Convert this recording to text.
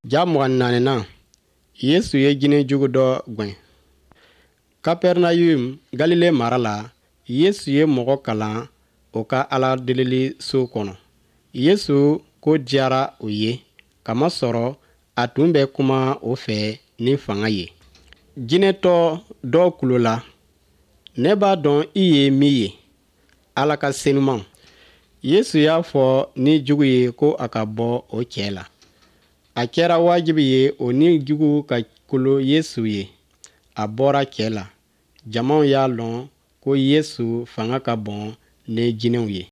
Ja 24nan, Yesu ye jinɛ jugu dɔ gwɛn. Kapɛrɛnayum, Galile mara la, Yesu ye mɔgɔ kalan o ka Ala delili so kɔnɔ. Yesu ko diyara u ye, kamasɔrɔ a tun bɛ kuma o fɛ ni fanga ye. Jinɛtɔ dɔ kulola, Ne b'a dɔn i ye min ye, Ala ka senuman. Yesu y'a fɔ ni jugu ye ko a ka bɔ o cɛ la. A kɛra wajibi ye o ni jugu ka kolo Yesu ye. A bɔra cɛ la. Jamaw y'a lɔn ko Yesu fanga ka bon ni jinɛw ye.